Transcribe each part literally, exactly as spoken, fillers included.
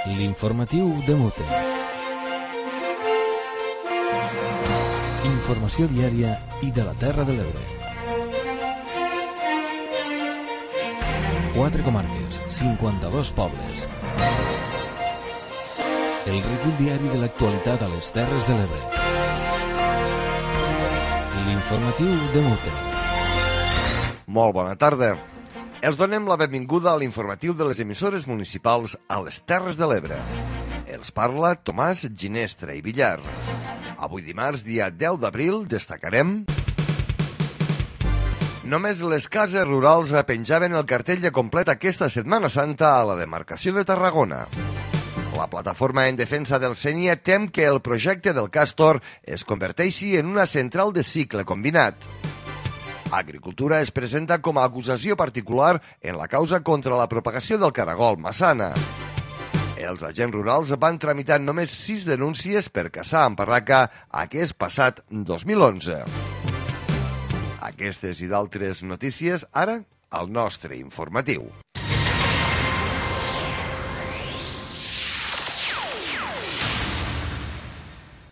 L'informatiu de Mute. Informació diària i de la Terra de l'Ebre. Quatre comarques, cinquanta-dos pobles. El recull diari de l'actualitat a les Terres de l'Ebre. L'informatiu de Mute. Molt bona tarda. Els donem la benvinguda a l'informatiu de les emissores municipals a les Terres de l'Ebre. Els parla Tomàs Ginestra i Villar. Avui dimarts, dia deu d'abril, destacarem... Només les cases rurals penjaven el cartell de complet aquesta Setmana Santa a la demarcació de Tarragona. La plataforma en defensa del Sénia tem que el projecte del Càstor es converteixi en una central de cicle combinat. Agricultura es presenta com a acusació particular en la causa contra la propagació del caragol Massana. Els agents rurals van tramitar només sis denúncies per caçar en barraca aquest passat dos mil onze. Aquestes i d'altres notícies, ara, al nostre informatiu.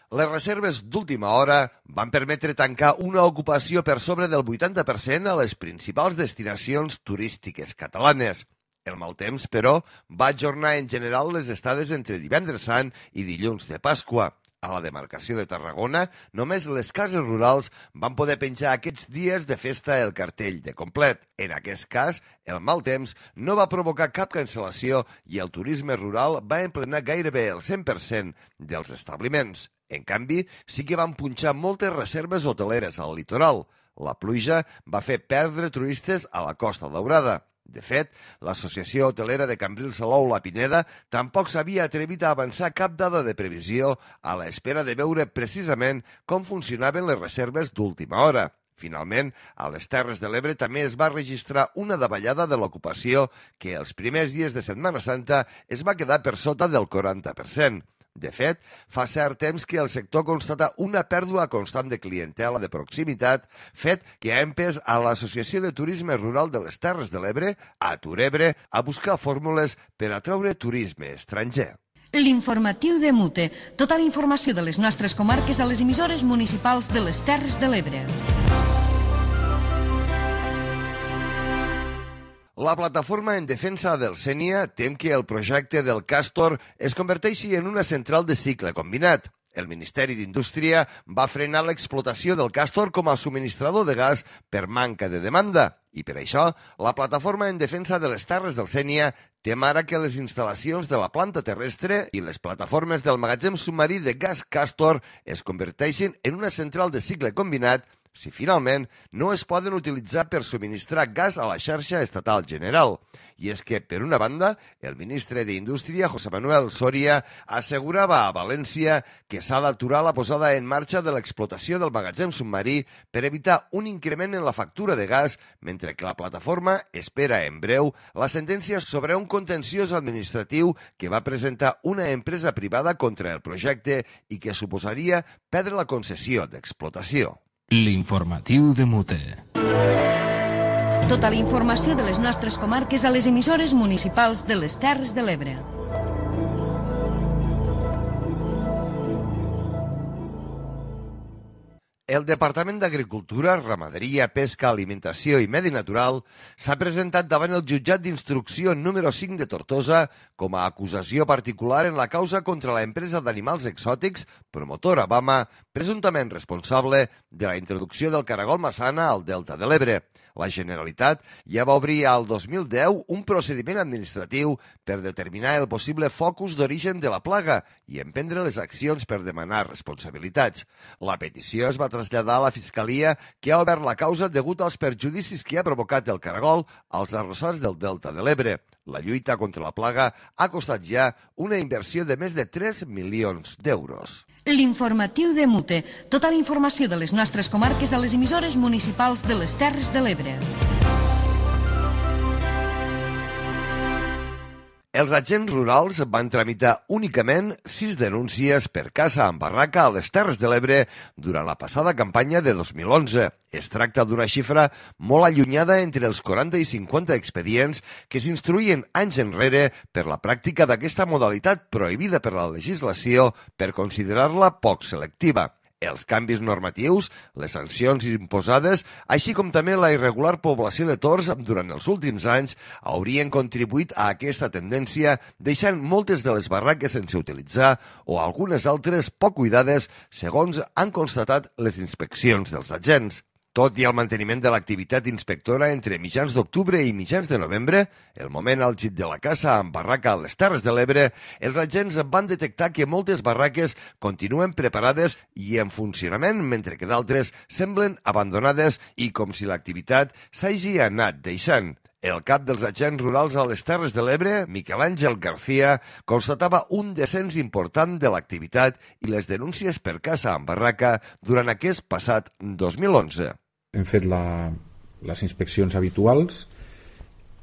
Les reserves d'última hora van permetre tancar una ocupació per sobre del vuitanta per cent a les principals destinacions turístiques catalanes. El mal temps, però, va ajornar en general les estades entre divendres sant i dilluns de Pasqua. A la demarcació de Tarragona, només les cases rurals van poder penjar aquests dies de festa el cartell de complet. En aquest cas, el mal temps no va provocar cap cancel·lació i el turisme rural va emplenar gairebé el cent per cent dels establiments. En canvi, sí que van punxar moltes reserves hoteleres al litoral. La pluja va fer perdre turistes a la Costa Daurada. De fet, l'Associació Hotelera de Cambrils Salou La Pineda tampoc s'havia atrevit a avançar cap dada de previsió a l'espera de veure precisament com funcionaven les reserves d'última hora. Finalment, a les Terres de l'Ebre també es va registrar una davallada de l'ocupació que els primers dies de Setmana Santa es va quedar per sota del quaranta per cent. De fet, fa cert temps que el sector constata una pèrdua constant de clientela de proximitat, fet que ha empès a l'Associació de Turisme Rural de les Terres de l'Ebre, a Turebre, a buscar fórmules per atraure turisme estranger. L'informatiu de Mute. Tota la informació de les nostres comarques a les emissores municipals de les Terres de l'Ebre. La plataforma en defensa del Sénia tem que el projecte del Càstor es converteixi en una central de cicle combinat. El Ministeri d'Indústria va frenar l'explotació del Càstor com a subministrador de gas per manca de demanda. I per això, la plataforma en defensa de les Terres del Sénia tem ara que les instal·lacions de la planta terrestre i les plataformes del magatzem submarí de gas Càstor es converteixin en una central de cicle combinat si finalment no es poden utilitzar per subministrar gas a la xarxa estatal general. I és que, per una banda, el ministre d'Indústria, José Manuel Soria, assegurava a València que s'ha d'aturar la posada en marxa de l'explotació del magatzem submarí per evitar un increment en la factura de gas, mentre que la plataforma espera en breu la sentència sobre un contenciós administratiu que va presentar una empresa privada contra el projecte i que suposaria perdre la concessió d'explotació. L'informatiu de Mute. Tota la informació de les nostres comarques a les emissores municipals de les Terres de l'Ebre. El Departament d'Agricultura, Ramaderia, Pesca, Alimentació i Medi Natural s'ha presentat davant el jutjat d'instrucció número cinc de Tortosa com a acusació particular en la causa contra l'empresa d'animals exòtics, promotora Bama, presumptament responsable de la introducció del caragol Massana al Delta de l'Ebre. La Generalitat ja va obrir al dos mil deu un procediment administratiu per determinar el possible focus d'origen de la plaga i emprendre les accions per demanar responsabilitats. La petició es va traslladar a la Fiscalia, que ha obert la causa degut als perjudicis que ha provocat el caragol als arrossars del Delta de l'Ebre. La lluita contra la plaga ha costat ja una inversió de més de tres milions d'euros. L'informatiu de Mute. Tota la informació de les nostres comarques a les emissores municipals de les Terres de l'Ebre. Els agents rurals van tramitar únicament sis denúncies per caça amb barraca a les Terres de l'Ebre durant la passada campanya de dos mil onze. Es tracta d'una xifra molt allunyada entre els quaranta i cinquanta expedients que s'instruïen anys enrere per la pràctica d'aquesta modalitat prohibida per la legislació per considerar-la poc selectiva. Els canvis normatius, les sancions imposades, així com també la irregular població de tords durant els últims anys, haurien contribuït a aquesta tendència, deixant moltes de les barraques sense utilitzar o algunes altres poc cuidades, segons han constatat les inspeccions dels agents. Tot i el manteniment de l'activitat inspectora entre mitjans d'octubre i mitjans de novembre, el moment àlgid de la caça amb barraca a les Terres de l'Ebre, els agents van detectar que moltes barraques continuen preparades i en funcionament, mentre que d'altres semblen abandonades i com si l'activitat s'hagi anat deixant. El cap dels agents rurals a les Terres de l'Ebre, Miquel Àngel García, constatava un descens important de l'activitat i les denúncies per caça amb barraca durant aquest passat dos mil onze. Hem fet la, les inspeccions habituals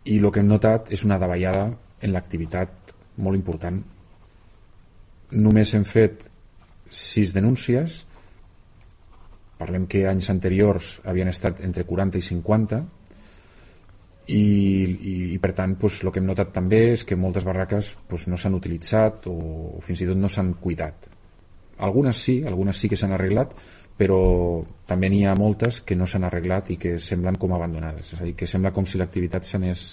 i el que hem notat és una davallada en l'activitat molt important. Només hem fet sis denúncies, parlem que anys anteriors havien estat entre quaranta i cinquanta, i, i, i per tant pues, el que hem notat també és que moltes barraques pues, no s'han utilitzat o, o fins i tot no s'han cuidat. Algunes sí, algunes sí que s'han arreglat, però també n'hi ha moltes que no s'han arreglat i que semblen com abandonades, és a dir, que sembla com si l'activitat s'anés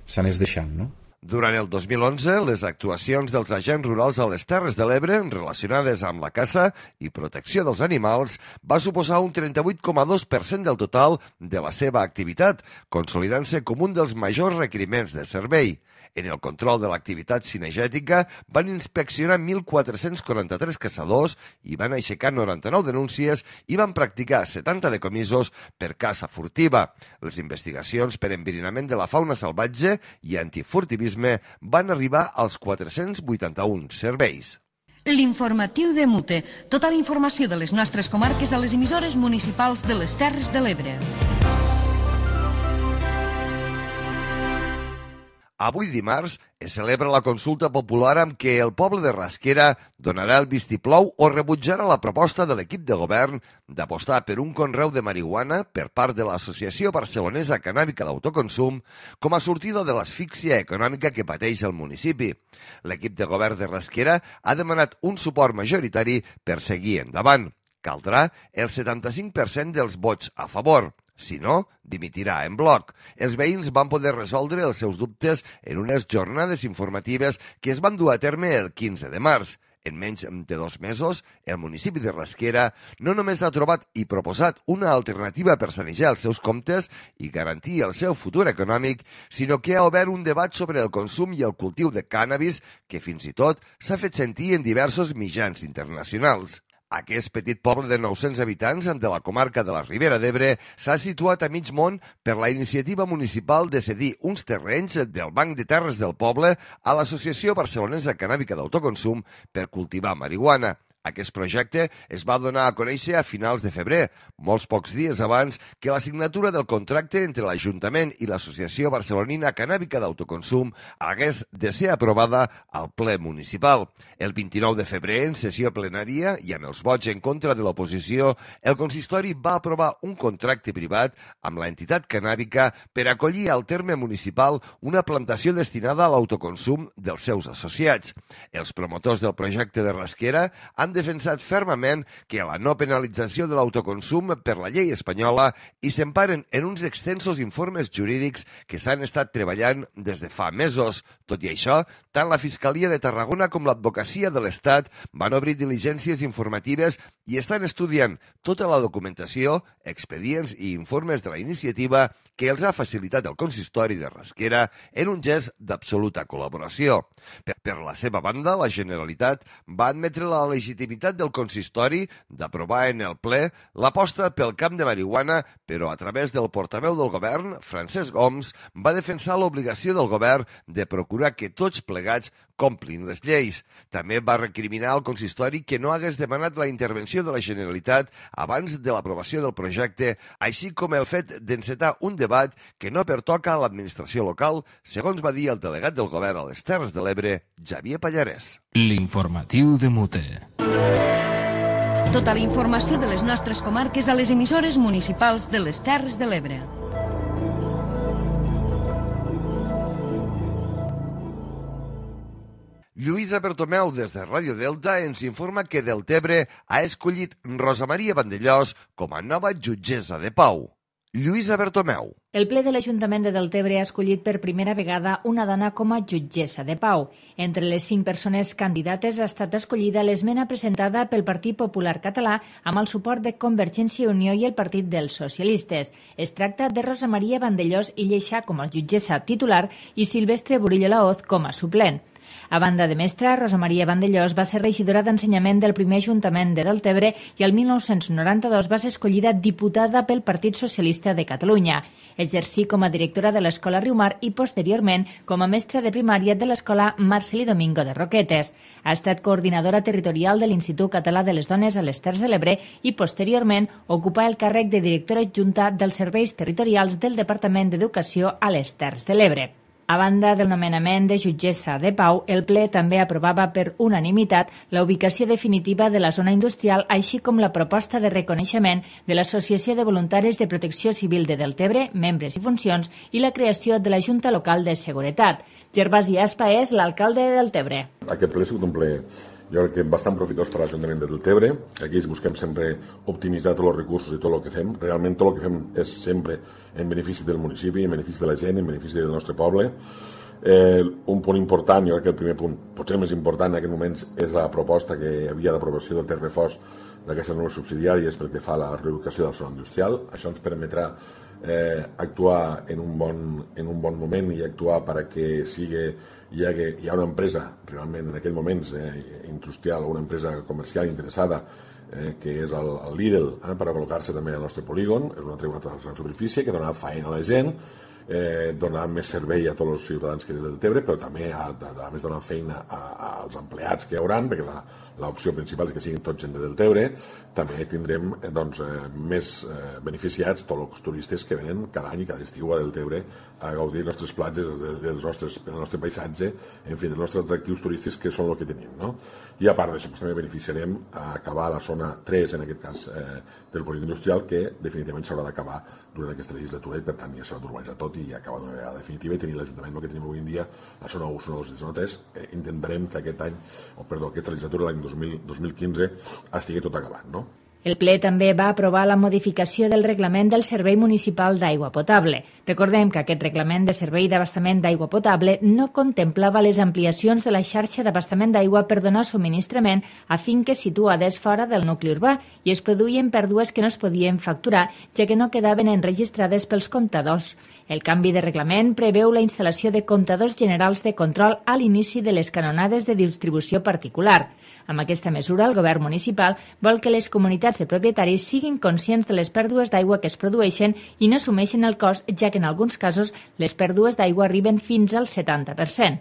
s'anés deixant, no? Durant el dos mil onze, les actuacions dels agents rurals a les Terres de l'Ebre relacionades amb la caça i protecció dels animals va suposar un trenta-vuit coma dos per cent del total de la seva activitat, consolidant-se com un dels majors requeriments de servei. En el control de l'activitat cinegètica van inspeccionar mil quatre-cents quaranta-tres caçadors i van aixecar noranta-nou denúncies i van practicar setanta decomisos per caça furtiva. Les investigacions per enverinament de la fauna salvatge i antifurtivisme van arribar als quatre-cents vuitanta-un serveis. L'informatiu de Mute. Tota la informació de les nostres comarques a les emissores municipals de les Terres de l'Ebre. Avui dimarts es celebra la consulta popular amb què el poble de Rasquera donarà el vistiplou o rebutjarà la proposta de l'equip de govern d'apostar per un conreu de marihuana per part de l'Associació Barcelonesa Cannàbica d'Autoconsum com a sortida de l'asfíxia econòmica que pateix el municipi. L'equip de govern de Rasquera ha demanat un suport majoritari per seguir endavant. Caldrà el setanta-cinc per cent dels vots a favor. Si no, dimitirà en bloc. Els veïns van poder resoldre els seus dubtes en unes jornades informatives que es van dur a terme el quinze de març. En menys de dos mesos, el municipi de Rasquera no només ha trobat i proposat una alternativa per sanejar els seus comptes i garantir el seu futur econòmic, sinó que ha obert un debat sobre el consum i el cultiu de cànnabis que fins i tot s'ha fet sentir en diversos mitjans internacionals. Aquest petit poble de nou-cents habitants de la comarca de la Ribera d'Ebre s'ha situat a mig món per la iniciativa municipal de cedir uns terrenys del Banc de Terres del poble a l'Associació Barcelonesa Cannàbica d'Autoconsum per cultivar marihuana. Aquest projecte es va donar a conèixer a finals de febrer, molts pocs dies abans que la signatura del contracte entre l'Ajuntament i l'Associació Barcelonina Cannàbica d'Autoconsum hagués de ser aprovada al ple municipal. El vint-i-nou de febrer, en sessió plenària i amb els vots en contra de l'oposició, el consistori va aprovar un contracte privat amb l'entitat cannàbica per acollir al terme municipal una plantació destinada a l'autoconsum dels seus associats. Els promotors del projecte de Rasquera han defensat fermament que la no penalització de l'autoconsum per la llei espanyola i s'emparen en uns extensos informes jurídics que s'han estat treballant des de fa mesos. Tot i això, tant la Fiscalia de Tarragona com l'Advocacia de l'Estat van obrir diligències informatives i estan estudiant tota la documentació, expedients i informes de la iniciativa que els ha facilitat el consistori de Rasquera en un gest d'absoluta col·laboració. Per, per la seva banda, la Generalitat va admetre la legitimitat del consistori d'aprovar en el ple l'aposta pel camp de marihuana, però a través del portaveu del govern, Francesc Homs, va defensar l'obligació del govern de procurar assegurar que tots plegats complin les lleis. També va recriminar al consistori que no hagués demanat la intervenció de la Generalitat abans de l'aprovació del projecte, així com el fet d'encetar un debat que no pertoca a l'administració local, segons va dir el delegat del govern a les Terres de l'Ebre, Xavier Pallarès. L'informatiu de Mute. Tota la informació de les nostres comarques a les emissores municipals de les Terres de l'Ebre. Lluïsa Bertomeu, des de Ràdio Delta, ens informa que Deltebre ha escollit Rosa Maria Vandellós com a nova jutgessa de pau. Lluïsa Bertomeu. El ple de l'Ajuntament de Deltebre ha escollit per primera vegada una dona com a jutgessa de pau. Entre les cinc persones candidates ha estat escollida l'esmena presentada pel Partit Popular Català amb el suport de Convergència i Unió i el Partit dels Socialistes. Es tracta de Rosa Maria Vandellós i Lleixà com a jutgessa titular i Silvestre Burillo Laoz com a suplent. A banda de mestra, Rosa Maria Vandellós va ser regidora d'Ensenyament del primer Ajuntament de Deltebre i el mil nou-cents noranta-dos va ser escollida diputada pel Partit Socialista de Catalunya. Exercí com a directora de l'Escola Riumar i, posteriorment, com a mestra de primària de l'Escola Marcelí Domingo de Roquetes. Ha estat coordinadora territorial de l'Institut Català de les Dones a les Terres de l'Ebre i, posteriorment, ocupà el càrrec de directora adjunta dels serveis territorials del Departament d'Educació a les Terres de l'Ebre. A banda del nomenament de jutgessa de pau, el ple també aprovava per unanimitat la ubicació definitiva de la zona industrial, així com la proposta de reconeixement de l'Associació de Voluntaris de Protecció Civil de Deltebre, membres i funcions, i la creació de la Junta Local de Seguretat. Gervasi Aspa és l'alcalde de Deltebre. Aquest ple ha sigut un ple, jo crec que bastant profitós per a l'Ajuntament de Deltebre. Aquí busquem sempre optimitzar tots els recursos i tot el que fem. Realment tot el que fem és sempre en benefici del municipi, en benefici de la gent, en benefici del nostre poble. Eh, un punt important, jo crec que el primer punt, potser el més important en aquest moment, és la proposta que hi havia d'aprovació del Terrefós d'aquestes noves subsidiàries pel que fa a la reubicació de la zona industrial. Això ens permetrà eh, actuar en un, bon, en un bon moment i actuar perquè sigui, hi ha, hi ha una empresa realment en aquell moment eh, industrial o una empresa comercial interessada eh, que és el, el Lidl eh, per a col·locar-se també al nostre polígon. És una, una gran superfície que donarà feina a la gent, eh, donar més servei a tots els ciutadans que del Deltebre, però també a, a, a més donar feina a, a, als empleats que hi haurà, perquè la, l'opció principal és que siguin tots gent de Deltebre. També tindrem eh, doncs, eh, més eh, beneficiats tots els turistes que venen cada any i cada estiu a Deltebre a gaudir dels nostres platges, dels nostres, del nostre paisatge, en fi, dels nostres atractius turístics que són el que tenim, no? I a part d'això doncs, també beneficiarem a acabar la zona tres, en aquest cas eh, del polígon industrial, que definitivament s'haurà d'acabar durant aquesta legislatura i per tant ja s'haurà d'urbanitzar tot i acabar d'una vegada definitiva i tenir l'Ajuntament el que tenim avui en dia, la zona u, zona dos i zona tres. Eh, intentarem que aquest any, o perdó, aquesta legislatura l'any dos mil quinze estigui tot acabat, no? El ple també va aprovar la modificació del reglament del Servei Municipal d'Aigua Potable. Recordem que aquest reglament de servei d'abastament d'aigua potable no contemplava les ampliacions de la xarxa d'abastament d'aigua per donar subministrament a finques situades fora del nucli urbà i es produïen pèrdues que no es podien facturar, ja que no quedaven enregistrades pels comptadors. El canvi de reglament preveu la instal·lació de comptadors generals de control a l'inici de les canonades de distribució particular. Amb aquesta mesura, el govern municipal vol que les comunitats de propietaris siguin conscients de les pèrdues d'aigua que es produeixen i no assumeixen el cost, ja que en alguns casos les pèrdues d'aigua arriben fins al setanta per cent.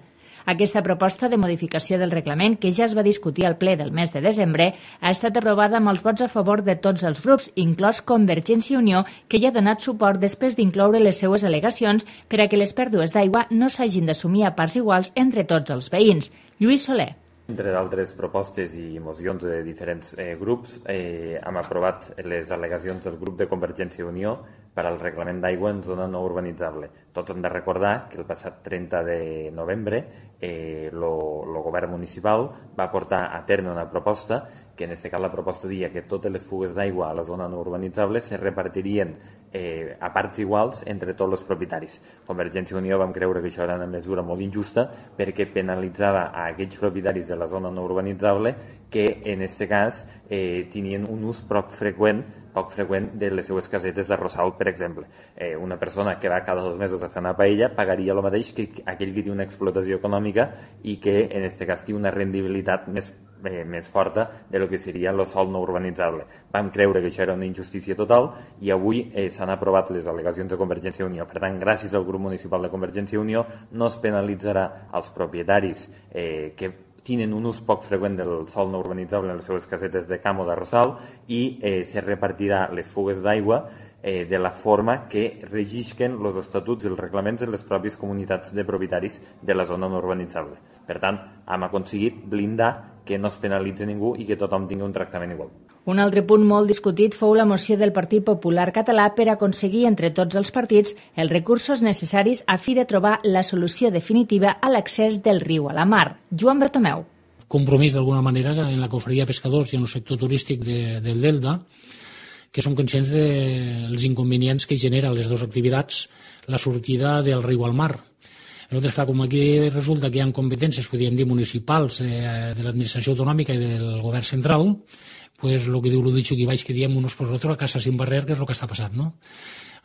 Aquesta proposta de modificació del reglament, que ja es va discutir al ple del mes de desembre, ha estat aprovada amb els vots a favor de tots els grups, inclòs Convergència i Unió, que hi ha donat suport després d'incloure les seues al·legacions per a que les pèrdues d'aigua no s'hagin d'assumir a parts iguals entre tots els veïns. Lluís Soler. Entre d'altres propostes i mocions de diferents eh, grups, eh, hem aprovat les al·legacions del grup de Convergència i Unió per al reglament d'aigua en zona no urbanitzable. Tots hem de recordar que el passat trenta de novembre eh, lo, lo govern municipal va portar a terme una proposta que en aquest cas la proposta dia que totes les fugues d'aigua a la zona no urbanitzable se repartirien eh, a parts iguals entre tots els propietaris. Convergència i Unió vam creure que això era una mesura molt injusta perquè penalitzava a aquells propietaris de la zona no urbanitzable que en aquest cas eh, tenien un ús prou freqüent poc freqüent de les seues casetes de Rossal, per exemple. Eh, una persona que va cada dos mesos a fer una paella pagaria el mateix que aquell que té una explotació econòmica i que en aquest cas té una rendibilitat més Eh, més forta de lo que seria el sòl no urbanitzable. Vam creure que això era una injustícia total i avui eh, s'han aprovat les al·legacions de Convergència i Unió. Per tant, gràcies al grup municipal de Convergència i Unió no es penalitzarà als propietaris eh, que tenen un ús poc freqüent del sòl no urbanitzable en les seves casetes de camp o de Rossal i eh, se repartirà les fugues d'aigua eh, de la forma que regisquen els estatuts i els reglaments de les pròpies comunitats de propietaris de la zona no urbanitzable. Per tant, hem aconseguit blindar que no es penalitzi ningú i que tothom tingui un tractament igual. Un altre punt molt discutit fou la moció del Partit Popular Català per aconseguir entre tots els partits els recursos necessaris a fi de trobar la solució definitiva a l'accés del riu a la mar. Joan Bertomeu. Compromís d'alguna manera en la cofreria de pescadors i en el sector turístic de, del Delta, que som conscients dels inconvenients que genera les dues activitats la sortida del riu al mar. Nosaltres, clar, com aquí resulta que hi ha competències, podríem dir, municipals, eh, de l'administració autonòmica i del govern central, pues el que diu l'Udicho aquí baix, que diem unos por otros a casa sin barrer, que és el que està passant, no?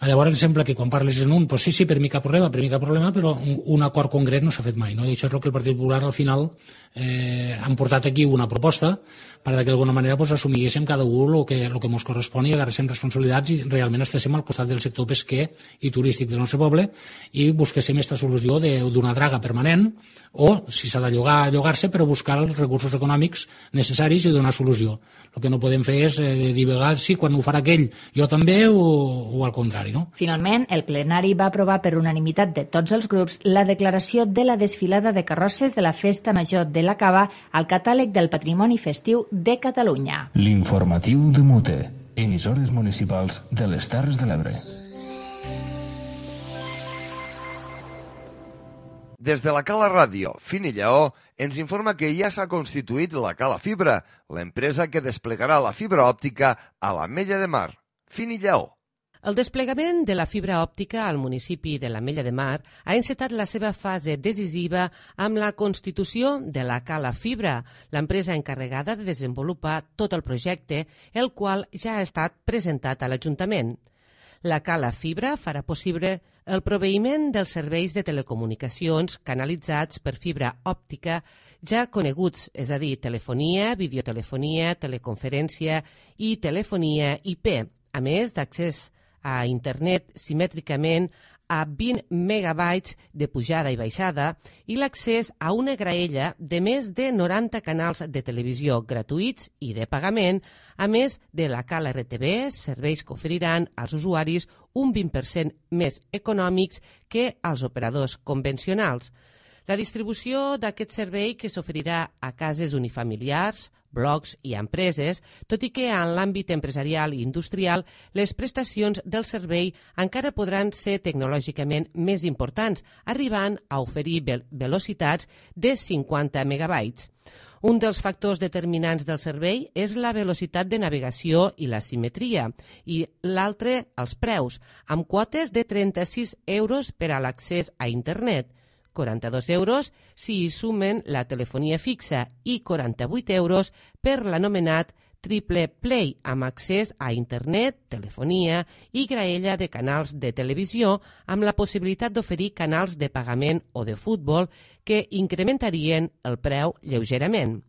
Llavors em sembla que quan parles en un, pues sí, sí, per mi cap problema, per mi cap problema, però un acord concret no s'ha fet mai, no? I això és el que el Partit Popular al final eh, han portat aquí una proposta per que d'alguna manera pues, assumíssim cada un el que, el que ens correspon i agarréssim responsabilitats i realment estéssim al costat del sector pesquer i turístic del nostre poble i busquéssim aquesta solució d'una draga permanent o, si s'ha de llogar, llogar-se, però buscar els recursos econòmics necessaris i donar solució. El que no podem fer és eh, dir, sí, quan ho farà aquell, jo també, o, o al contrari. No? Finalment, el plenari va aprovar per unanimitat de tots els grups la declaració de la desfilada de carrosses de la Festa Major de la Cava al catàleg del Patrimoni Festiu de Catalunya. L'informatiu de Mute, emissores municipals de les Terres de l'Ebre. Des de la Cala Ràdio, Fini Lleó, ens informa que ja s'ha constituït la Cala Fibra, l'empresa que desplegarà la fibra òptica a l'Ametlla de Mar. Fini Lleó. El desplegament de la fibra òptica al municipi de l'Ametlla de Mar ha encetat la seva fase decisiva amb la constitució de la Cala Fibra, l'empresa encarregada de desenvolupar tot el projecte, el qual ja ha estat presentat a l'Ajuntament. La Cala Fibra farà possible el proveïment dels serveis de telecomunicacions canalitzats per fibra òptica ja coneguts, és a dir, telefonia, videotelefonia, teleconferència i telefonia I P, a més d'accés a internet simètricament a vint megabytes de pujada i baixada i l'accés a una graella de més de noranta canals de televisió gratuïts i de pagament, a més de la Cala R T B, serveis que oferiran als usuaris un vint per cent més econòmics que als operadors convencionals. La distribució d'aquest servei que s'oferirà a cases unifamiliars, blocs i empreses, tot i que en l'àmbit empresarial i industrial les prestacions del servei encara podran ser tecnològicament més importants, arribant a oferir velocitats de cinquanta megabytes. Un dels factors determinants del servei és la velocitat de navegació i la simetria, i l'altre, els preus, amb quotes de trenta-sis euros per a l'accés a internet, quaranta-dos euros si hi sumen la telefonia fixa i quaranta-vuit euros per l'anomenat Triple Play, amb accés a internet, telefonia i graella de canals de televisió, amb la possibilitat d'oferir canals de pagament o de futbol que incrementarien el preu lleugerament.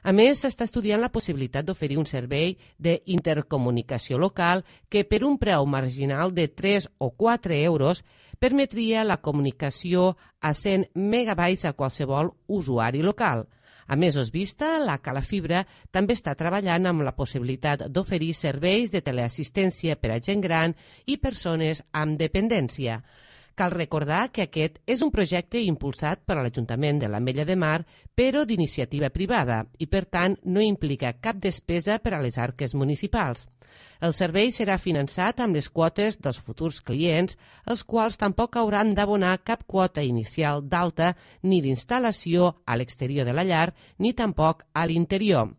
A més, s'està estudiant la possibilitat d'oferir un servei d'intercomunicació local que per un preu marginal de tres o quatre euros permetria la comunicació a cent megabytes a qualsevol usuari local. A mesos vista, la Cala Fibra també està treballant amb la possibilitat d'oferir serveis de teleassistència per a gent gran i persones amb dependència. Cal recordar que aquest és un projecte impulsat per l'Ajuntament de l'Ametlla de Mar, però d'iniciativa privada, i per tant no implica cap despesa per a les arques municipals. El servei serà finançat amb les quotes dels futurs clients, els quals tampoc hauran d'abonar cap quota inicial d'alta ni d'instal·lació a l'exterior de la llar, ni tampoc a l'interior.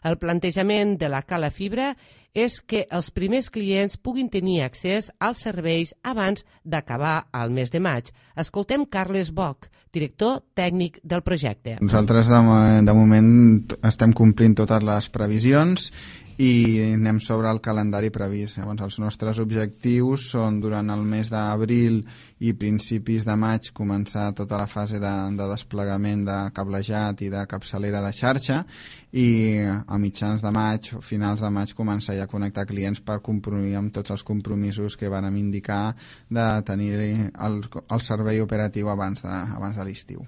El plantejament de la Cala Fibra és que els primers clients puguin tenir accés als serveis abans d'acabar el mes de maig. Escoltem Carles Boch, director tècnic del projecte. Nosaltres de, de moment estem complint totes les previsions i anem sobre el calendari previst. Llavors, els nostres objectius són durant el mes d'abril i principis de maig començar tota la fase de, de desplegament de cablejat i de capçalera de xarxa, i a mitjans de maig o finals de maig començar ja a connectar clients per complir amb tots els compromisos que vàrem indicar de tenir el, el servei operatiu abans de, abans de l'estiu.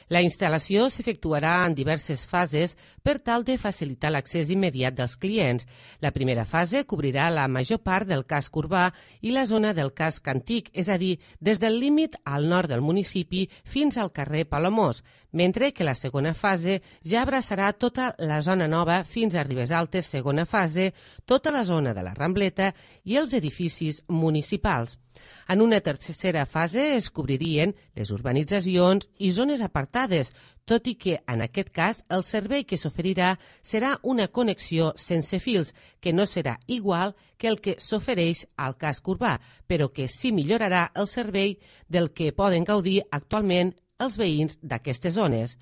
La instal·lació s'efectuarà en diverses fases per tal de facilitar l'accés immediat dels clients. La primera fase cobrirà la major part del casc urbà i la zona del casc antic, és a dir, des del límit al nord del municipi fins al carrer Palamós, mentre que la segona fase ja abraçarà tota la zona nova fins a Ribes Altes, segona fase, tota la zona de la Rambleta i els edificis municipals. En una tercera fase es cobririen les urbanitzacions i zones apartades, tot i que, en aquest cas, el servei que s'oferirà serà una connexió sense fils, que no serà igual que el que s'ofereix al casc urbà, però que sí millorarà el servei del que poden gaudir actualment els veïns d'aquestes zones.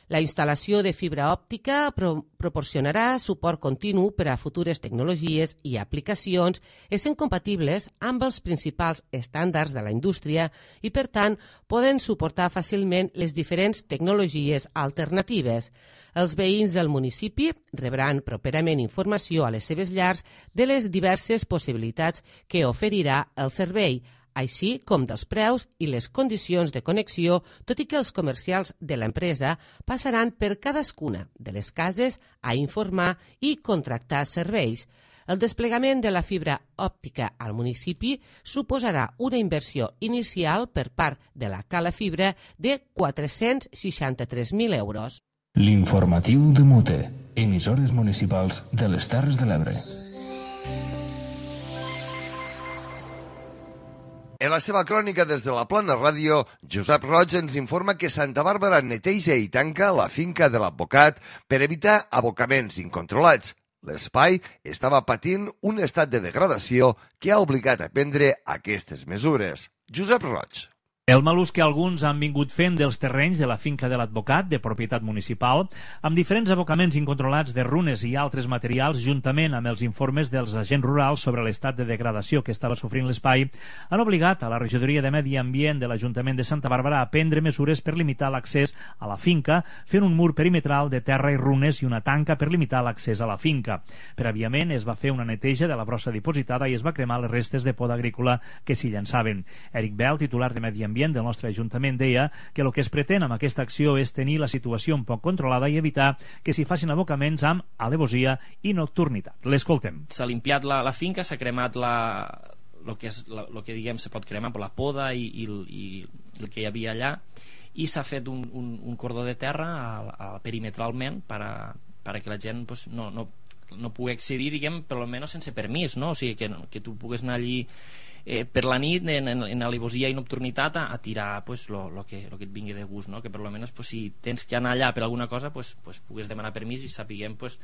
La instal·lació de fibra òptica pro proporcionarà suport continu per a futures tecnologies i aplicacions, essent compatibles amb els principals estàndards de la indústria i, per tant, poden suportar fàcilment les diferents tecnologies alternatives. Els veïns del municipi rebran properament informació a les seves llars de les diverses possibilitats que oferirà el servei, així com dels preus i les condicions de connexió, tot i que els comercials de l'empresa passaran per cadascuna de les cases a informar i contractar serveis. El desplegament de la fibra òptica al municipi suposarà una inversió inicial per part de la Cala Fibra de quatre-cents seixanta-tres mil euros. L'informatiu de Mute, emissores municipals de les Terres de l'Ebre. En la seva crònica des de la Plana Ràdio, Josep Roig ens informa que Santa Bàrbara neteja i tanca la finca de l'advocat per evitar abocaments incontrolats. L'espai estava patint un estat de degradació que ha obligat a prendre aquestes mesures. Josep Roig. El mal ús que alguns han vingut fent dels terrenys de la finca de l'advocat, de propietat municipal, amb diferents abocaments incontrolats de runes i altres materials, juntament amb els informes dels agents rurals sobre l'estat de degradació que estava sofrint l'espai, han obligat a la regidoria de Medi Ambient de l'Ajuntament de Santa Bàrbara a prendre mesures per limitar l'accés a la finca, fent un mur perimetral de terra i runes i una tanca per limitar l'accés a la finca. Prèviament es va fer una neteja de la brossa dipositada i es va cremar les restes de poda agrícola que s'hi llançaven. Eric Bell, titular de Medi Ambient del nostre Ajuntament, deia que el que es pretén amb aquesta acció és tenir la situació un poc controlada i evitar que s'hi facin abocaments amb alevosia i nocturnitat. L'escoltem. S'ha limpiat la, la finca, s'ha cremat la, lo que, és, la, lo que diguem se pot cremar, la poda i, i, i el que hi havia allà, i s'ha fet un, un, un cordó de terra a, a, perimetralment per a, per a que la gent pues, no, no, no pugui accedir, diguem, per almenys sense permís, no? O sigui, que, que tu pugues anar allí Eh, per la nit en, en, en alevosia i nocturnitat a, a tirar pues, lo, lo, que, lo que et vingui de gust, no? Que per almenys pues, si tens que anar allà per alguna cosa pues, pues, pugues demanar permís i sapiguem pues,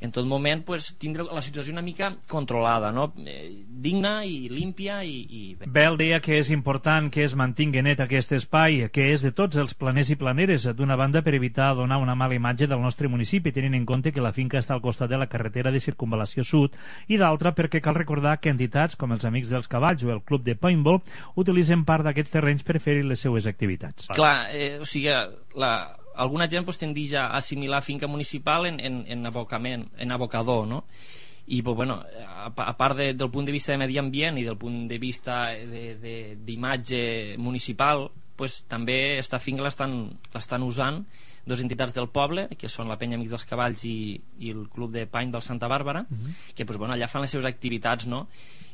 en tot moment pues, tindre la situació una mica controlada, no? eh, digna i límpia i, i... Bell deia que és important que es mantingui net aquest espai, que és de tots els planers i planeres, d'una banda per evitar donar una mala imatge del nostre municipi, tenint en compte que la finca està al costat de la carretera de circunvalació sud, i d'altra perquè cal recordar que entitats com els Amics dels Cavalls o el Club de Paintball utilitzen part d'aquests terrenys per fer-hi les seues activitats. Clar, eh, o sigui, la... alguna gent pues, tendeix a assimilar finca municipal en, en, en abocament, en abocador, no? I pues, bueno, a, a part de, del punt de vista de medi ambient i del punt de vista d'imatge municipal, pues, també esta finca l'estan usant dues entitats del poble, que són la Penya Amics dels Cavalls i, i el Club de Paintball Santa Bàrbara, uh-huh. que pues, bueno, allà fan les seves activitats, no?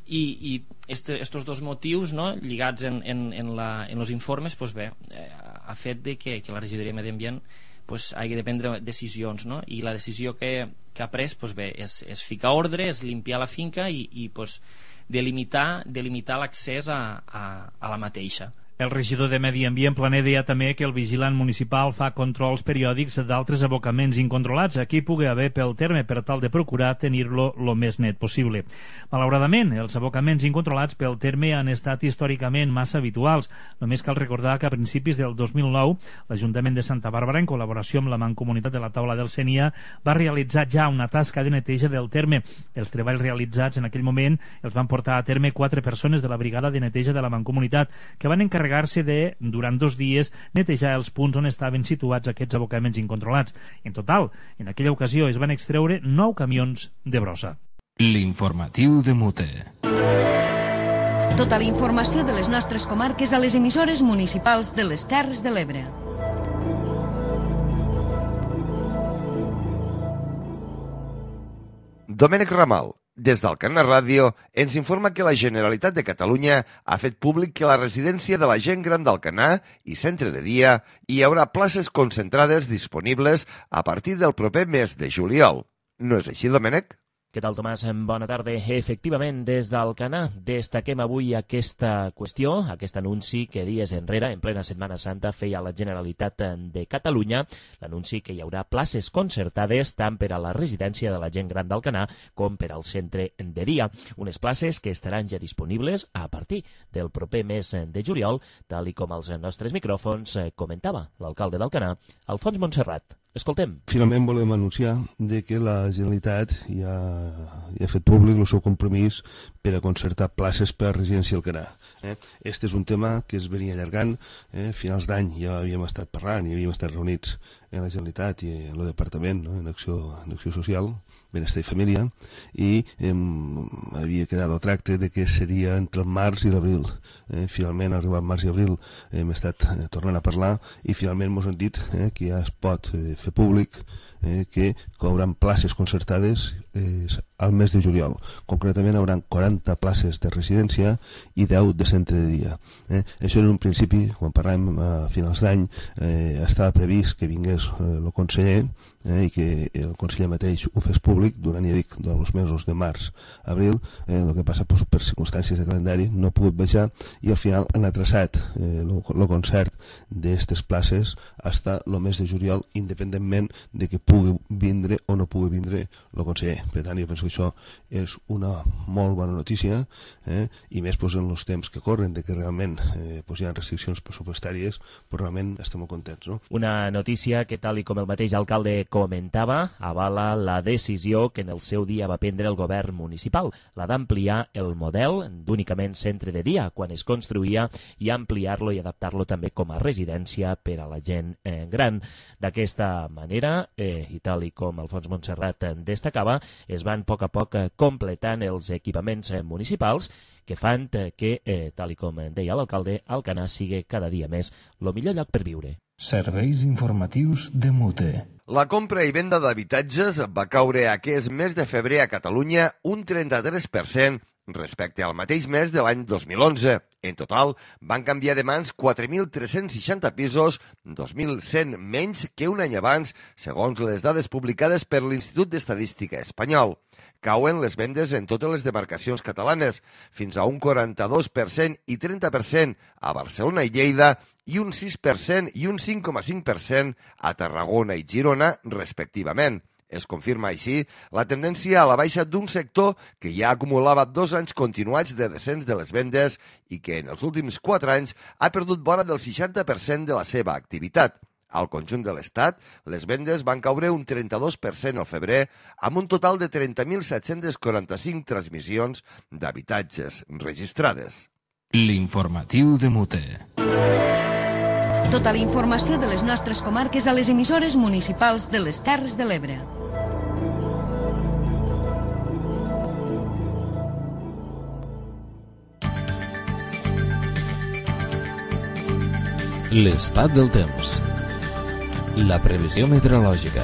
I, i este, estos dos motius, no, lligats en, en, en, la, en los informes, pues bé, eh, ha fet de que, que la regidoria de Medi Ambient pues, hagi de prendre decisions, no? I la decisió que, que ha pres pues bé, és, és ficar ordre, és limpiar la finca i, i pues, delimitar, delimitar l'accés a, a, a la mateixa. El regidor de Medi Ambient Planer deia també que el vigilant municipal fa controls periòdics d'altres abocaments incontrolats a qui pugui haver pel terme per tal de procurar tenir-lo lo més net possible. Malauradament, els abocaments incontrolats pel terme han estat històricament massa habituals. Només cal recordar que a principis del dos mil nou l'Ajuntament de Santa Bàrbara, en col·laboració amb la Mancomunitat de la Taula del Sénia, va realitzar ja una tasca de neteja del terme. Els treballs realitzats en aquell moment els van portar a terme quatre persones de la brigada de neteja de la Mancomunitat, que van encarregar se de, durant dos dies, netejar els punts on estaven situats aquests abocaments incontrolats. En total, en aquella ocasió es van extreure nou camions de brossa. L'informatiu de Mute. Tota la informació de les nostres comarques a les emissores municipals de les Terres de l'Ebre. Domènec Ramal, des d'Alcanar Ràdio, ens informa que la Generalitat de Catalunya ha fet públic que a la residència de la gent gran d'Alcanar i centre de dia hi haurà places concentrades disponibles a partir del proper mes de juliol. No és així, Domènec? Què tal, Tomàs? Bona tarda. Efectivament, des d'Alcanar destaquem avui aquesta qüestió, aquest anunci que dies enrere, en plena Setmana Santa, feia la Generalitat de Catalunya, l'anunci que hi haurà places concertades tant per a la residència de la gent gran d'Alcanar com per al centre de dia. Unes places que estaran ja disponibles a partir del proper mes de juliol, tal i com els nostres micròfons comentava l'alcalde d'Alcanar, Alfons Montserrat. Escoltem. Finalment volem anunciar de que la Generalitat ja, ja ha fet públic el seu compromís per a concertar places per a residència Alcanar. Eh? Este és un tema que es venia allargant. Eh? A finals d'any ja havíem estat parlant i havíem estat reunits en la Generalitat i en el Departament, no? en, acció, en Acció Social, Benestar i Família, i eh, havia quedat el tracte de que seria entre el març i l'abril. Eh? Finalment, arribat març i abril, eh, hem estat eh, tornant a parlar i finalment ens han dit eh, que ja es pot eh, fer públic eh, que hauran places concertades eh, al mes de juliol. Concretament hi haurà quaranta places de residència i deu de centre de dia. Eh? Això en un principi, quan parlàvem a finals d'any, eh, estava previst que vingués eh, el conseller eh, i que el conseller mateix ho fes públic durant, ja dic, dels mesos de març a abril. Eh, el que passa per, per circumstàncies de calendari no ha pogut baixar i al final han atrasat el eh, concert d'aquestes places fins al mes de juliol, independentment de que pugui vindre o no pugui vindre el conseller. Per tant, jo penso que això és una molt bona notícia, eh? i més pues, en els temps que corren, de que realment eh, pues, hi ha restriccions pressupostàries, però realment estem molt contents. No? Una notícia que, tal i com el mateix alcalde comentava, avala la decisió que en el seu dia va prendre el govern municipal, la d'ampliar el model d'únicament centre de dia quan es construïa i ampliar-lo i adaptar-lo també com a residència per a la gent eh, gran. D'aquesta manera, eh, i tal i com Alfons Montserrat destacava, es van a poc a poc completant els equipaments municipals que fan que, eh, tal i com deia l'alcalde, Alcanar sigui cada dia més el millor lloc per viure. Serveis informatius de Mute. La compra i venda d'habitatges va caure aquest mes de febrer a Catalunya un trenta-tres per cent respecte al mateix mes de l'any dos mil onze. En total, van canviar de mans quatre mil tres-cents seixanta pisos, dos mil cent menys que un any abans, segons les dades publicades per l'Institut d'Estadística espanyol. Cauen les vendes en totes les demarcacions catalanes, fins a un quaranta-dos per cent i trenta per cent a Barcelona i Lleida, i un sis per cent i un cinc coma cinc per cent a Tarragona i Girona, respectivament. Es confirma així la tendència a la baixa d'un sector que ja acumulava dos anys continuats de descens de les vendes i que en els últims quatre anys ha perdut vora del seixanta per cent de la seva activitat. Al conjunt de l'Estat, les vendes van caure un trenta-dos per cent al febrer, amb un total de trenta mil set-cents quaranta-cinc transmissions d'habitatges registrades. L'informatiu de Mute. Tota la informació de les nostres comarques a les emissores municipals de les Terres de l'Ebre. L'estat del temps. La previsió meteorològica.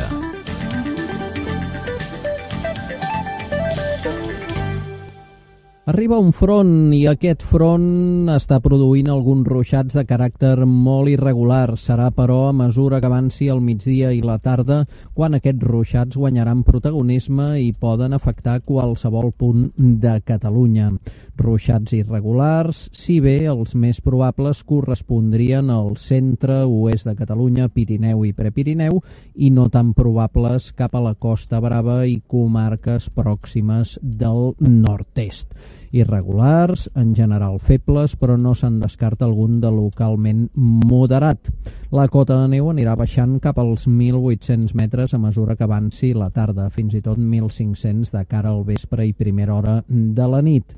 Arriba un front i aquest front està produint alguns ruixats de caràcter molt irregular. Serà, però, a mesura que avanci el migdia i la tarda quan aquests ruixats guanyaran protagonisme i poden afectar qualsevol punt de Catalunya. Ruixats irregulars, si bé els més probables correspondrien al centre oest de Catalunya, Pirineu i Prepirineu, i no tan probables cap a la Costa Brava i comarques pròximes del nord-est. Irregulars, en general febles, però no se'n descarta algun de localment moderat. La cota de neu anirà baixant cap als mil vuit-cents metres a mesura que avanci la tarda, fins i tot mil cinc-cents de cara al vespre i primera hora de la nit.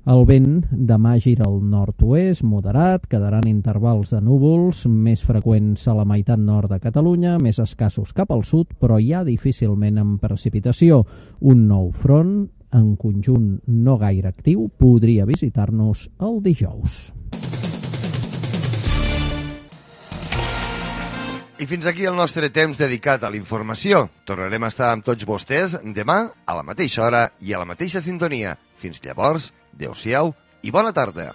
El vent demà gira al nord-oest, moderat, quedaran intervals de núvols, més freqüents a la meitat nord de Catalunya, més escassos cap al sud, però ja difícilment amb precipitació. Un nou front, en conjunt no gaire actiu, podria visitar-nos el dijous. I fins aquí el nostre temps dedicat a la informació. Tornarem a estar amb tots vostès demà a la mateixa hora i a la mateixa sintonia. Fins llavors, adéu-siau i bona tarda.